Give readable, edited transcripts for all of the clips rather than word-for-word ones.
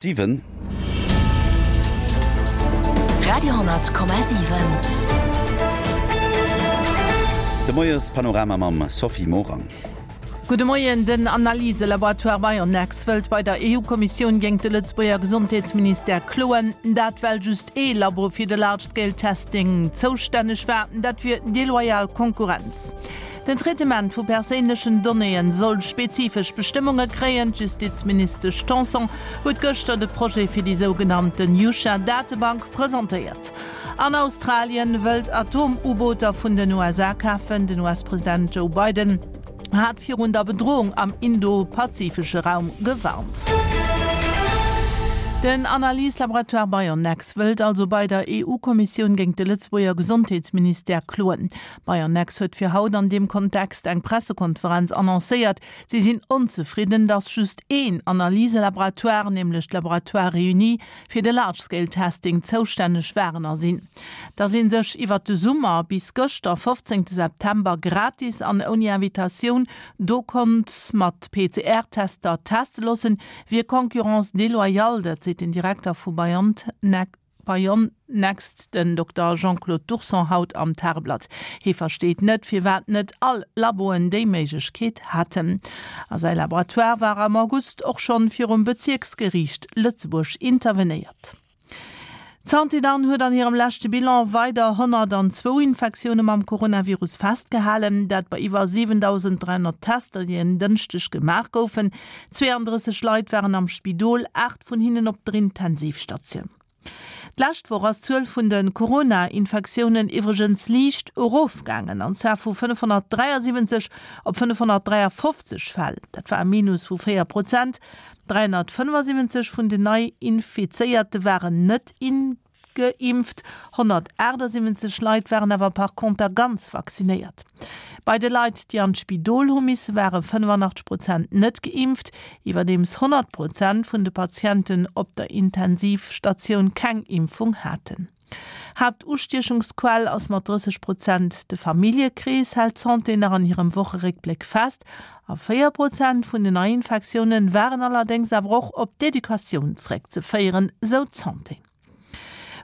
7. Radio,7. De Moiespanorama mam Sophie Morang. Gudde Moien, Den Analyselaboratoire Bionex wëllt bei der EU-Kommissioun géint de Lëtzebuerger Gesondheetsministère kloen. Dat well just ee Labo fir de Large-Scale Testing zoustänneg war. Dat wier deloyal Konkurrenz. Den Traitement vu perséinlechen Donnéeën soll spezifesch Bestëmmunge kréien. D'Justizministesch Tanson huet gëschter de Projet fir déi sougenannten Yusha-Datebank presentéiert. An Australien wëllt Atom-U-Booter vun den USA kafen. Den US-President Joe Biden hat virun der Bedrohung am indo-pazifesche Raum gewarnt. Den Analyse-Laboratoire Bionex wëllt also bei der EU-Kommissioun géint de Lëtzebuerger Gesondheetsministère kloen. Bionex huet fir haut an deem Kontext eng Pressekonferenz annoncéiert. Si sinn onzefridden, datt just een Analyselaboratoire, nämlech d'Laboratoires Réunis, fir de Large Scale Testing zoustänneg waren a sinn. Datt ee sech iwwert de Summer bis gëschter, 15 September, gratis an ouni Invitatioun do konnt mat PCR-Tester teste loossen, wier Concurrence déloyale, dat seet den Direkter vu BioNTech. Bionext, den Dokter Jean-Claude Turson haut am Tageblatt. Hie versteet net, firwat net all Laboen déi Méiglechkeet haten. A säi Laboratoire war am August och schonn virum Bezierksgeriicht Lëtzebuerg intervenéiert. D'Santé dann huet an hirem leschte Bilan weider 102 Infektioune mam Coronavirus festgehalen. Dat bei iwwer 7.300 Tester, déi en Dënschdeg gemaach goufen. 32 Leit waren am Spidol, 8 vun hinnen op der Intensivstatioun. D'lescht Woch ass d'Zuel vun de Corona-Infektiounen iwwregens liicht erofgaangen, an zwar vu 573 op 553 Fäll. Dat war e Minus vu 4 Prozent. 375 vun den Nei-Infizéierte waren net Geimpft. 178 Leit waren awer par conter ganz vaccinéiert. Bei de Leit, déi an d'Spidol hu misse ware 85 Prozent net geimpft, iwwerdeems 100 Prozent vun de Patienten op der Intensivstatioun keng Impfung haten. Haaptustiechungsquell ass mat 30 Prozent de Familljekrees, hält d'Santé nach an hirem Wocheréckbléck fest. A 4 Prozent vun den Neiinfektioune waren allerdéngs awer och op d'Educatioun zeréckzeféieren, sou d'Santé.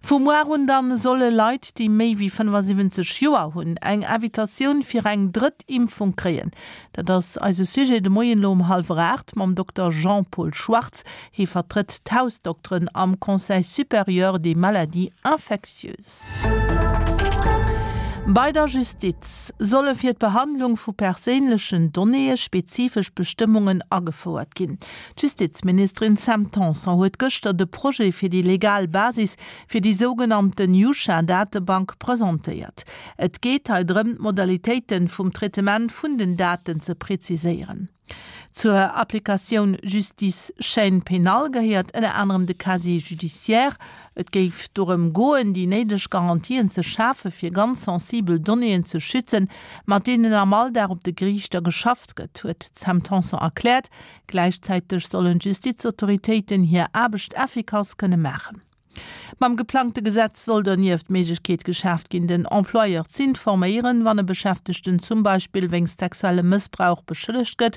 Vu muar un dann solle Leit, déi méi wéi 75 Joer hunn, eng Invitatioun fir eng drëtt Impfung kréien. Dat ass eise Sujet de Moien elo um hallwer 8 mam Dokter Jean-Paul Schwartz. Hie vertrëtt d'Hausdokteren am Conseil supérieur des maladies infectieuses. Bei der Justiz solle fir d'Behandlung vu perséinlechen Donnéeë spezifesch Bestëmmungen agefouert ginn. D'Justizministerin Sam Tanson huet gëschter de Projet fir déi legal Basis fir déi sougenannten Yusha-Datebank presentéiert. Et geet hei drëm, d'Modalitéite vum Traitement vun den Daten ze preziséieren. Zur Applikatioun Justice Chaîne pénale gehéiert ënner anerem de Casier judiciaire. Et géif dorëm goen, déi néideg Garantien ze schafe fir ganz sensibel Donnéeën ze schützen, mat deenen am Alldag op de Geriichter geschafft gëtt, huet d'Sam Tanson erkläert. Gläichzäiteg sollen d'Justizautoritéiten hir Aarbecht effikass kënne maachen. Mam geplangte Gesetz soll donieft d'Méiglechkeet geschaaft ginn, den Employeur z'informéieren, wann e Beschäftegten zum Beispill wéinst sexuellem Mëssbrauch beschëllegt gëtt,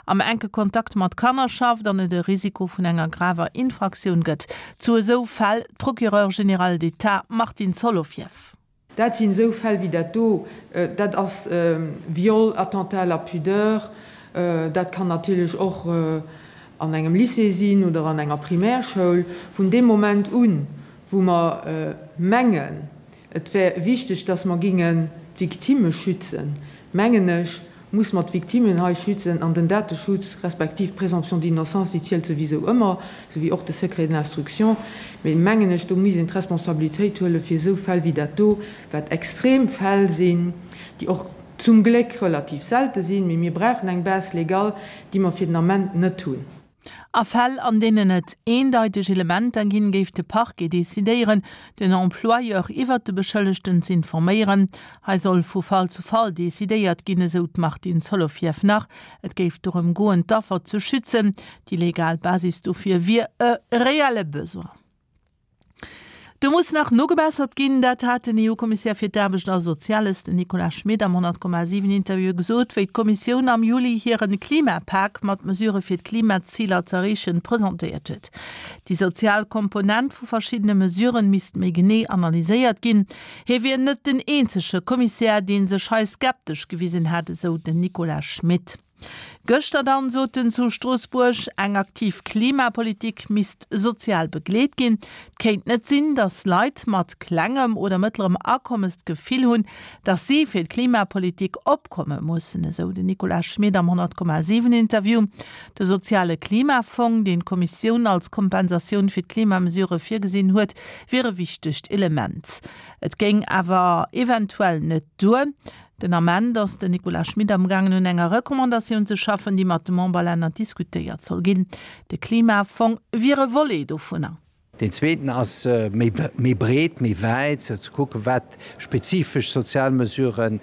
am enke Kontakt mat Kanner schafft an et e Risiko vun enger graver Infraktioun gëtt. Zu esou Fäll d'Procureure générale d'État Martine Solovieff. Dat sinn esou Fäll wéi dat do, dat ass Viol, Attentat à la pudeur, dat kann natierlech och an engem Lycée sinn oder an enger Primärschoul. Vun deem Moment un, wou mer mengen, et wär wichteg, dass mer gingen d'Victimme schützen, mengen ech, muss mer d'Victimmen hei schützen an den Dateschutz respektiv d'Présomption d'innocence, déi zielt souwisou ëmmer, souwéi och de Secret de l'instruction. Mee mengen ech, do misst een d'Responsabilitéit huele fir esou Fäll wéi dat do, wat extrem Fäll sinn, déi och zum Gléck relativ selte sinn. Mee mir brauchen eng Base légale, déi mer fir den Ament net hunn. A Fäll, an deenen et eendeiteg Elementer ginn, géif de Parquet decidéieren, den Employeur iwwert de Beschëllegten z'informéieren. Hei soll vu Fall zu Fall decidéiert ginn, esou d'Martine Solovieff nach. Et géif dorëm goen, d'Affer ze schützen. Déi legal Basis dofir wier e reelle Besoin. Do muss nach nogebessert ginn, dat hat den EU-Kommissär fir d'Aarbecht a Soziales, den Nicolas Schmit, am 100,7 Interview gesot, wéi d'Kommissioun am Juli hire Klimapak mat Mesurë fir d'Klimaziler z'erreechen presentéiert huet. Déi sozial Komponent vu verschiddene Mesuren misst méi genee analyséiert ginn. Hie wier net den eenzege Kommissär, dee sech hei skeptesch gewisen hätt, esou den Nicolas Schmit. Gëschter dann sot en zu Stroossbuerg, eng aktiv Klimapolitik misst sozial begleet ginn. Et kéint net sinn, datt Leit mat klengem oder mëttlerem Akommes d'Gefill hunn, datt si fir d'Klimapolitik opkomme mussen, esou den Nicolas Schmit am 100,7 Interview. De soziale Klimafong, deen d'Kommissioun als Kompensatioun fir d'Klimamesurë virgesinn huet, wier e wichtegt Element. Et géing awer eventuell net duer. Den Ament ass den Nicolas Schmit amgaangen un enger Recommandatioun ze schaffen, déi mat de Memberlänner diskutéiert soll ginn. De Klimafong wier e Volet dovunner. Deen zweeten ass méi breet, méi wäit, ze kucken, wat spezifesch sozial Mesuren,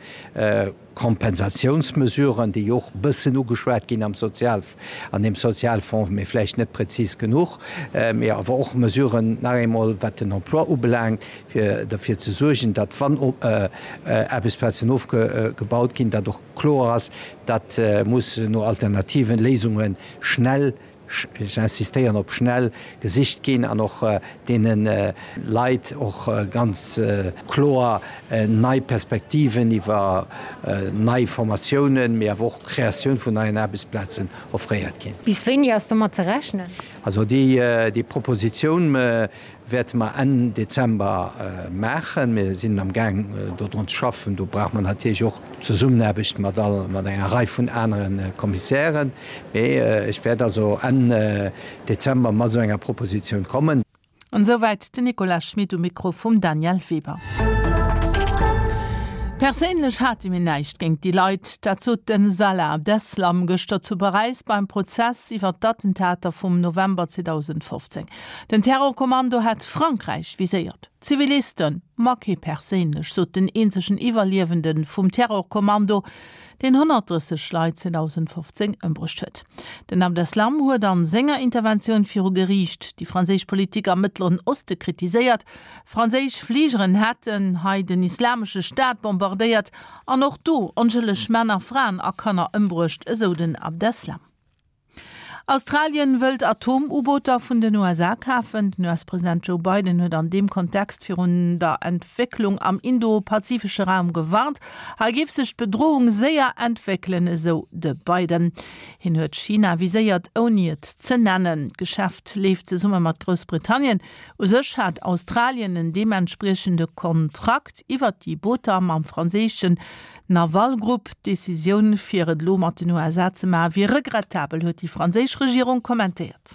Kompensatiounsmesuren, déi och e bëssen ugeschwat ginn am Sozial, an deem Sozialfonds, mee vläicht net prezis genuch, mee awer och Mesuren nach eemol, wat den Emploi ubelaangt, fir derfir ze suergen, datt wann Aarbechtsplazen ofgebaut ginn, datt och kloer ass, datt muss no alternativen Léisunge schnell, ech insistéieren op schnell, gesicht ginn an och deene Leit och ganz kloer nei Perspektiven iwwer nei Formatiounen, mee awer och Kreatioun vun neien Aarbechtsplazen offréiert ginn. Bis wéini ass domat ze rechnen? Also déi Propositioun Wäerte mer Enn Dezember maachen. Mir sinn am Gaang dodrun ze schaffen. Do brauche mer natierlech och d'Zesummenaarbecht mat all, mat enger Rei vun anere Kommissären. Mee ech wäert also Enn Dezember mat esou enger Propositioun kommen. An esouwäit den Nicolas Schmit um Mikro vum Danièle Weber. Perséinlech hate mir näischt géint déi Leit, dat sot den Salah Abdeslam gëschter zu Paräis beim Prozess iwwer d'Attentater vum November 2015. Den Terrorkommando hätt Frankräich viséiert, Zivilisten, ma kee perséinlech, sot den eenzegen Iwwerliewende vum Terrorkommando, deen 130 Leit 2015 ëmbruecht huet. Den Abdeslam huet a senger Interventioun viru Geriicht déi franséisch Politik am Mëttleren Oste kritiséiert. Franséisch Fligeren hätten hei den Islamesche Staat bombardéiert an och do onschëlleg Männer, Fraen a Kanner ëmbruecht, esou den Abdeslam. Australien wëllt Atom-U-Booter vun den USA kafen. Den US-President Joe Biden huet an deem Kontext virun der Entwécklung am indo-pazifesche Raum gewarnt. Hei géif sech d'Bedrohung séier entwéckelen, esou de Biden. Hien huet China viséiert, ouni et ze nennen. D'Geschäft leeft zesumme mat Groussbritannien. U sech hat Australien en deementspriechende Kontrakt iwwert déi Booter mam franséischen Naval Group. D'Decisioun, fir et elo mat den USA ze maachen, wier regrettabel, huet déi franséisch Regierung kommentéiert.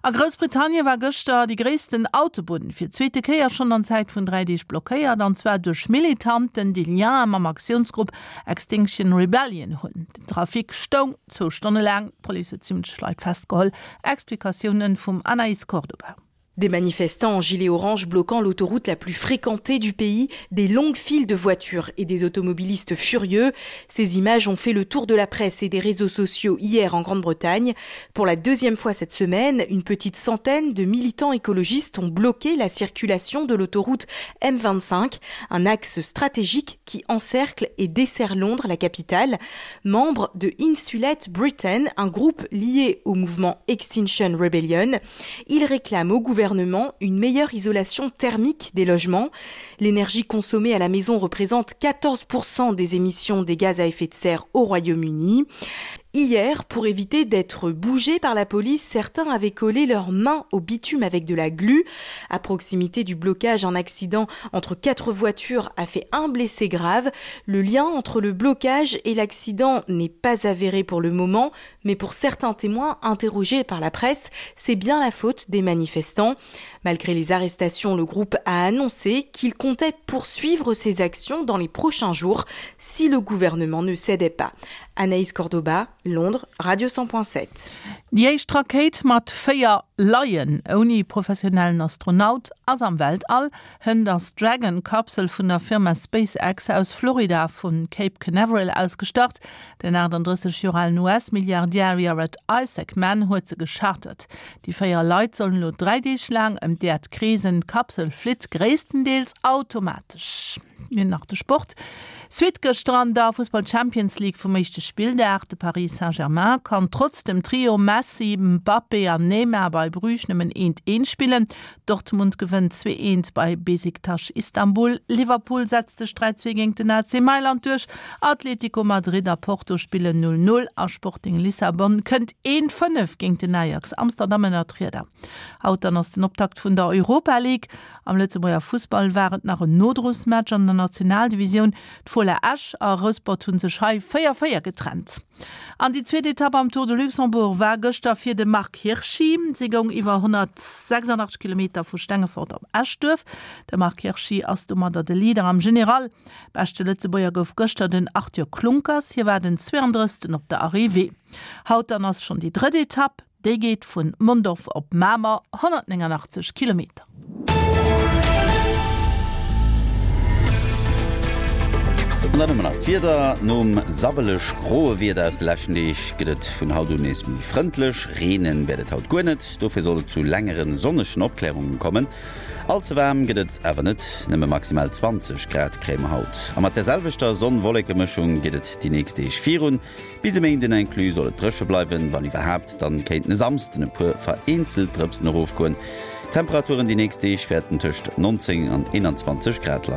A Groussbritannien war gëschter déi gréissten Autobunn fir d'zweete Kéier schonn an Zäit vun 3 Deeg blockéiert, an zwar duerch Militanten, déi Liene mam Aktiounsgrupp Extinction Rebellion hunn. Den Trafic stoung zwou Stonne laang, d'Police huet 70 Leit festgeholl. Explikatiounen vum Anaïs Cordoba. Des manifestants en gilet orange bloquant l'autoroute la plus fréquentée du pays, des longues files de voitures et des automobilistes furieux. Ces images ont fait le tour de la presse et des réseaux sociaux hier en Grande-Bretagne. Pour la deuxième fois cette semaine, une petite centaine de militants écologistes ont bloqué la circulation de l'autoroute M25, un axe stratégique qui encercle et dessert Londres, la capitale. Membre de Insulate Britain, un groupe lié au mouvement Extinction Rebellion, il réclame au gouvernement une meilleure isolation thermique des logements. L'énergie consommée à la maison représente 14% des émissions des gaz à effet de serre au Royaume-Uni. Hier, pour éviter d'être bougés par la police, certains avaient collé leurs mains au bitume avec de la glu. À proximité du blocage, un accident entre quatre voitures a fait un blessé grave. Le lien entre le blocage et l'accident n'est pas avéré pour le moment, mais pour certains témoins interrogés par la presse, c'est bien la faute des manifestants. Malgré les arrestations, le groupe a annoncé qu'il comptait poursuivre ses actions dans les prochains jours si le gouvernement ne cédait pas. Anaïs Cordoba, Londres, Radio 100.7. Déi éischt Rakéit mat 4 Laien ouni professionellen Astronaut ass am Weltall. Hënt ass d'Dragon-Kapsel vun der Firma SpaceX aus Florida vu Cape Canaveral aus gestart. Den 38 Joer alen US-Milliardär Jared Isaacman huet se gechartert. Déi 4 Leit sollen elo 3 Deeg laang ëm d'Äerd kreesen. D'Kapsel flitt gréisstendeels automatesch. Mir nach de Sport. Suite gëschter an der Fussball Champions League vum éischte Spilldag. De Paris Saint-Germain kann trotz dem Trio Messi, Mbappé an Neymar bei Bruges nëmmen eent eent spillen. Dortmund gewënnt 2 eent bei Besiktas Istanbul. Liverpool setzt sech 3 2 géint den AC Mailand duerch. Atletico Madrid a Porto spillen 0 0 a Sporting Lissabon kënnt 1 5 géint den Ajax Amsterdam ënnert d'Rieder. Haut dann ass den Optakt vun der Europa League. Am Lëtzebuerger Fussball war et nach en Nodrosmatch an der Nationaldivisioun. D'Fola Esch a Rouspert hu sech hei 4, 4 getrennt. An déi zweet Etapp am Tour de Luxembourg war gëschter fir de Marc Hirschi. Si goung iwwer 186 Kilometer vu Stengefort op Eschduerf. De Marc Hirschi ass domadder de Leader am General. Beschte Lëtzebuerger gouf gëschter den Arthur Klunkers. Hie war den 32. op der Arrivée. Haut dann ass schonn déi drëtt Etapp. Déi geet vun Mondorf op Mamer, 189 Kilometer. An dann hu mer nach d'Wieder. Nom sabbeleg groe Wieder aus de leschten Deeg gëtt et vun haut un nees méi frëndlech. Reene wäert et haut guer net, dofir soll et zu längere sonnegen Opklärunge kommen. All ze waarm gëtt et awer net, nëmme maximal 20 Grad kréie mer haut. A mat der selwechter Sonn-Wolleke-Mëschung geet et déi nächst Deeg virun. Bis e Méinden inclus soll et dréche bleiwen, wann iwwerhaapt, dann kéinten e Samsden e puer vereenzelt Drëpsen erofgoen. D'Temperaturen déi nächst Deeg wäerten tëscht 19 an 21 Grad leien.